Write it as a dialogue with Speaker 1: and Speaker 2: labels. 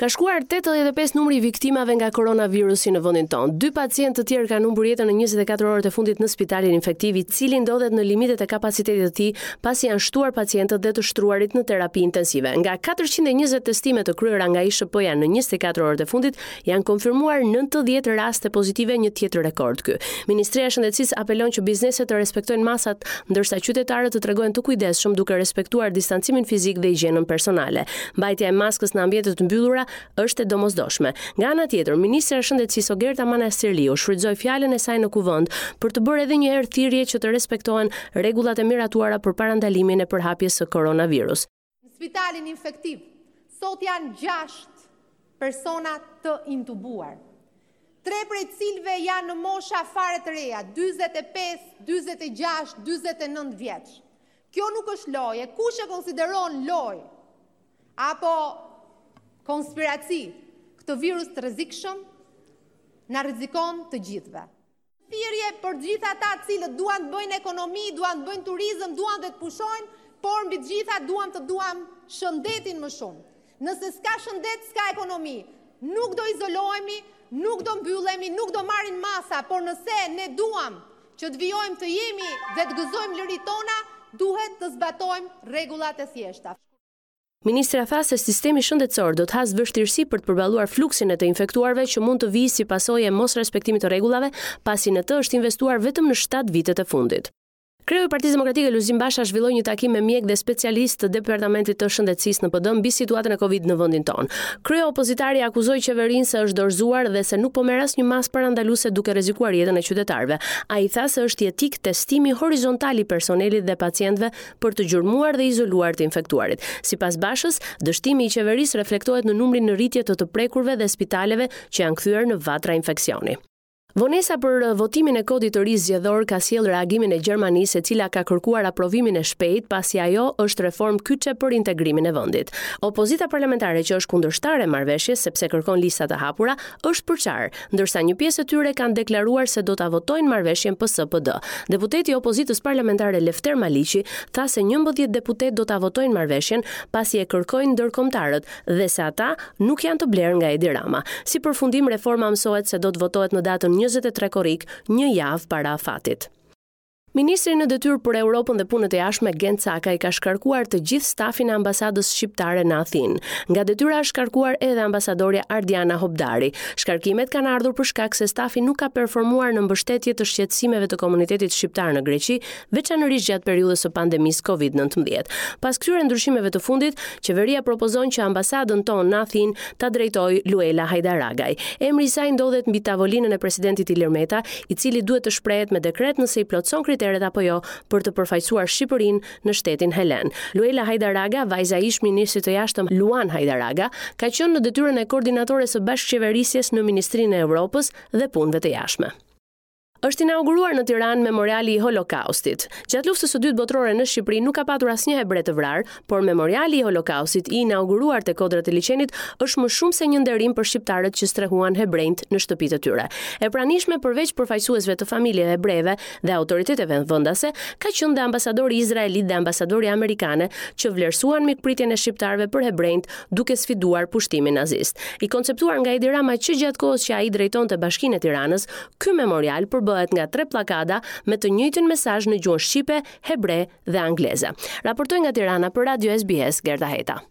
Speaker 1: Ka shkuar 85 numri i viktimave nga koronavirusi në vendin tonë. Dy pacientë të tjerë kanë humbur jetën në 24 orët e fundit në spitalin infektiv, i cili ndodhet në limitet e kapacitetit të tij, pasi janë shtuar pacientët dhe të shtruarit në terapi intensive. Nga 420 testime të kryera nga ISHP-ja në 24 orët e fundit, janë konfirmuar 90 raste pozitive, një tjetër rekord ky. Ministria e Shëndetësisë apelon që bizneset të respektojnë masat, ndërsa qytetarët të tregohen të kujdesshëm duke respektuar distancimin fizik dhe higjienën personale. Mbajtja e maskës në ambiente të mbyllura është e domosdoshme. Nga ana tjetër, ministrja e Shëndetësisë Ogerta Manastirliu shfrytëzoi fjalën e saj në Kuvend për të bërë edhe një herë thirrje që të respektohen rregullat e miratuara për parandalimin e përhapjes së koronavirus.
Speaker 2: Në spitalin infektiv sot janë 6 persona të intubuar. Tre prej të cilëve janë në mosha fare të reja, 45, 46, 49 vjeç. Kjo nuk është lojë, kush e konsideron lojë apo konspiraci këtë virus të rrezikshëm na rrezikon të gjithëve. Thirrje për të gjithë ata të cilët duan të bëjnë ekonomi, duan të bëjnë turizëm, duan dhe të pushojnë, por mbi të gjitha duam të duam shëndetin më shumë. Nëse s'ka shëndet, s'ka ekonomi. Nuk do izolohemi, nuk do mbyllemi, nuk do marrim masa, por nëse ne duam që të vijojmë të jemi dhe të gëzojmë liritë tona, duhet të zbatojmë rregullat e thjeshta.
Speaker 1: Ministrja tha se sistemi shëndetësor do të hasë vështirësi për të përballuar fluksin e të infektuarve që mund të vijë si pasojë e mosrespektimit të rregullave, pasi në të është investuar vetëm në 7 vitet e fundit. Kreu i Partisë Demokratike Lulzim Basha zhvilloi një takim me mjekë dhe specialistë të Departamentit të Shëndetësisë në PD mbi situatën e Covid në vendin tonë. Kreu opozitari akuzoi qeverinë se është dorëzuar dhe se nuk po merr asnjë masë parandaluese duke rrezikuar jetën e qytetarëve. Ai tha se është jetik testimi horizontal i personelit dhe pacientëve për të gjurmuar dhe izoluar të infektuarit. Sipas Bashës, dështimi i qeverisë reflektohet në numrin në rritje të të prekurve dhe spitaleve që janë kthyer në vatra infeksioni. Vonesa për votimin e kodit të ri zgjedhor ka sjellë reagimin e Gjermanisë, e cila ka kërkuar aprovimin e shpejtë, pasi ajo është reformë kyçe për integrimin e vendit. Opozita parlamentare që është kundërshtare e marrëveshjes sepse kërkon lista të hapura, është përçarë, ndërsa një pjesë e tyre kanë deklaruar se do ta votojnë marrëveshjen PS-PD. Deputeti i opozitës parlamentare Lefter Maliqi tha se 11 deputetë do ta votojnë marrëveshjen pasi e kërkojnë ndërkombëtarët dhe se ata nuk janë të blerë nga Edi Rama. Si përfundim reforma mësohet se do të votohet në datën 23 korrik, një javë para afatit. Ministri në detyrë për Europën dhe Punët e Jashtme Gent Cakaj ka shkarkuar të gjithë stafin e ambasadës shqiptare në Athinë. Nga detyra është shkarkuar edhe ambasadorja Ardiana Hobdari. Shkarkimet kanë ardhur për shkak se stafi nuk ka performuar në mbështetje të shqetësimeve të komunitetit shqiptar në Greqi, veçanërisht gjatë periudhës së pandemisë Covid-19. Pas këtyre ndryshimeve të fundit, qeveria propozon që ambasadën tonë në Athinë ta drejtojë Luela Hajdaragaj. Emri i saj ndodhet mbi tavolinën e presidentit Ilir Meta, i cili duhet të shprehet me dekret nëse i plotëson kriteret apo jo për të përfaqësuar Shqipërinë në shtetin helen. Luela Hajdaraga, vajza e ish-ministrit të Jashtëm Luan Hajdaraga, ka qenë në detyrën e koordinatores së bashkëqeverisjes në Ministrinë e Evropës dhe Punëve të Jashtme. Është inauguruar në Tiranë Memoriali i Holokaustit. Gjatë Luftës së Dytë Botërore në Shqipëri nuk ka patur asnjë hebre të vrarë, por Memoriali i Holokaustit i inauguruar te Kodrat e Liqenit është më shumë se një nderim për shqiptarët që strehuan hebrenjtë në shtëpitë e tyre. E pranishme përveç përfaqësuesve të familjeve hebreve dhe autoriteteve vendase, ka qenë dhe ambasadori izraelit dhe ambasadorja amerikane që vlerësuan mikpritjen e shqiptarëve për hebrenjtë duke sfiduar pushtimin nazist. I konceptuar nga Edi Rama që gjatë kohës që ai drejtonte Bashkinë e Tiranës, Ky memorial përbëhet nga tre pllakada me të njëjtin mesazh në gjuhën shqipe, hebre dhe angleze. Raportoi nga Tirana për Radio SBS Gerta Heta.